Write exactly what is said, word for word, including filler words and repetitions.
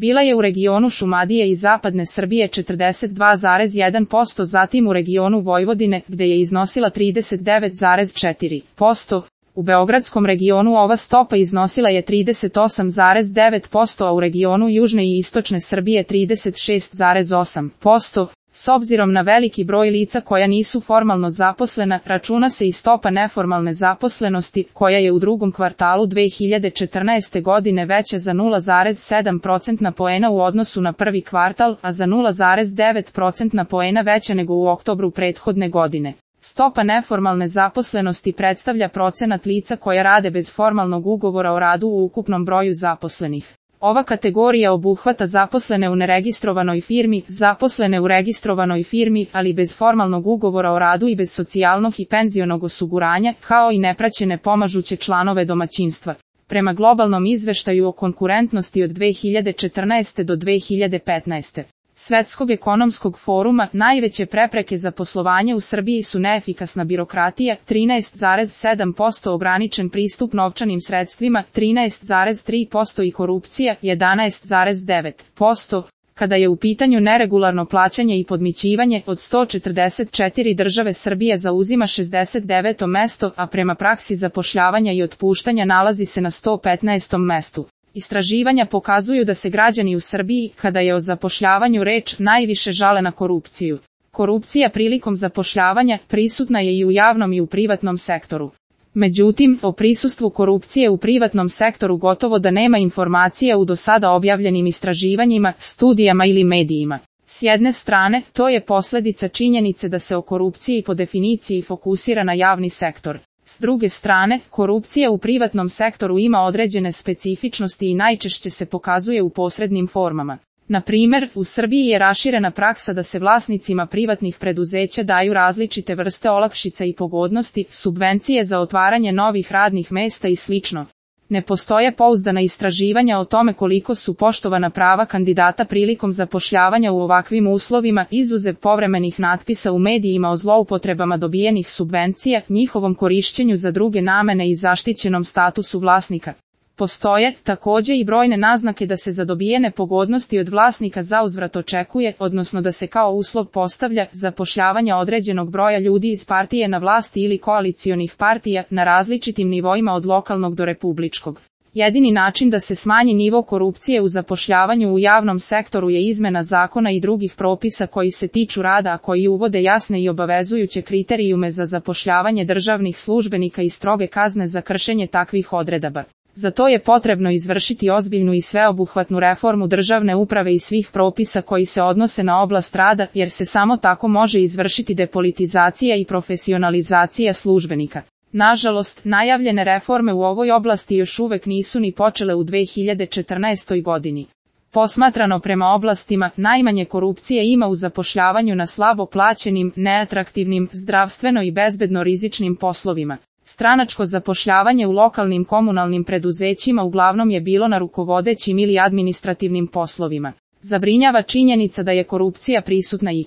Bila je u regionu Šumadije i zapadne Srbije četrdeset dva zarez jedan posto, zatim u regionu Vojvodine, gde je iznosila trideset devet zarez četiri posto. U beogradskom regionu ova stopa iznosila je trideset osam zarez devet posto, a u regionu južne i istočne Srbije trideset šest zarez osam posto. S obzirom na veliki broj lica koja nisu formalno zaposlena, računa se i stopa neformalne zaposlenosti, koja je u drugom kvartalu dve hiljade četrnaeste. godine veća za nula zarez sedam procentna poena u odnosu na prvi kvartal, a za nula zarez devet procentna poena veća nego u oktobru prethodne godine. Stopa neformalne zaposlenosti predstavlja procenat lica koja rade bez formalnog ugovora o radu u ukupnom broju zaposlenih. Ova kategorija obuhvata zaposlene u neregistrovanoj firmi, zaposlene u registrovanoj firmi, ali bez formalnog ugovora o radu i bez socijalnog i penzionog osiguranja, kao i nepraćene pomažuće članove domaćinstva. Prema globalnom izveštaju o konkurentnosti od dve hiljade četrnaeste. do dve hiljade petnaeste. Svetskog ekonomskog foruma, najveće prepreke za poslovanje u Srbiji su neefikasna birokratija, trinaest zarez sedam posto, ograničen pristup novčanim sredstvima, trinaest zarez tri posto i korupcija, jedanaest zarez devet posto. Kada je u pitanju neregularno plaćanje i podmićivanje, od sto četrdeset četiri države Srbije zauzima šezdeset deveto mesto, a prema praksi zapošljavanja i otpuštanja nalazi se na sto petnaestom mestu. Istraživanja pokazuju da se građani u Srbiji, kada je o zapošljavanju reč, najviše žale na korupciju. Korupcija prilikom zapošljavanja prisutna je i u javnom i u privatnom sektoru. Međutim, o prisustvu korupcije u privatnom sektoru gotovo da nema informacija u do sada objavljenim istraživanjima, studijama ili medijima. S jedne strane, to je posljedica činjenice da se o korupciji po definiciji fokusira na javni sektor. S druge strane, korupcija u privatnom sektoru ima određene specifičnosti i najčešće se pokazuje u posrednim formama. Na primjer, u Srbiji je raširena praksa da se vlasnicima privatnih preduzeća daju različite vrste olakšica i pogodnosti, subvencije za otvaranje novih radnih mesta i slično. Ne postoje pouzdana istraživanja o tome koliko su poštovana prava kandidata prilikom zapošljavanja u ovakvim uslovima, izuzev povremenih natpisa u medijima o zloupotrebama dobijenih subvencija, njihovom korišćenju za druge namene i zaštićenom statusu vlasnika. Postoje, također, i brojne naznake da se za dobijene pogodnosti od vlasnika zauzvrat očekuje, odnosno da se kao uslov postavlja, zapošljavanja određenog broja ljudi iz partije na vlasti ili koalicionih partija, na različitim nivoima od lokalnog do republičkog. Jedini način da se smanji nivo korupcije u zapošljavanju u javnom sektoru je izmena zakona i drugih propisa koji se tiču rada, a koji uvode jasne i obavezujuće kriterijume za zapošljavanje državnih službenika i stroge kazne za kršenje takvih odredaba. Za to je potrebno izvršiti ozbiljnu i sveobuhvatnu reformu državne uprave i svih propisa koji se odnose na oblast rada, jer se samo tako može izvršiti depolitizacija i profesionalizacija službenika. Nažalost, najavljene reforme u ovoj oblasti još uvek nisu ni počele u dve hiljade četrnaestoj. godini. Posmatrano prema oblastima, najmanje korupcije ima u zapošljavanju na slabo plaćenim, neatraktivnim, zdravstveno i bezbedno rizičnim poslovima. Stranačko zapošljavanje u lokalnim komunalnim preduzećima uglavnom je bilo na rukovodećim ili administrativnim poslovima. Zabrinjava činjenica da je korupcija prisutna i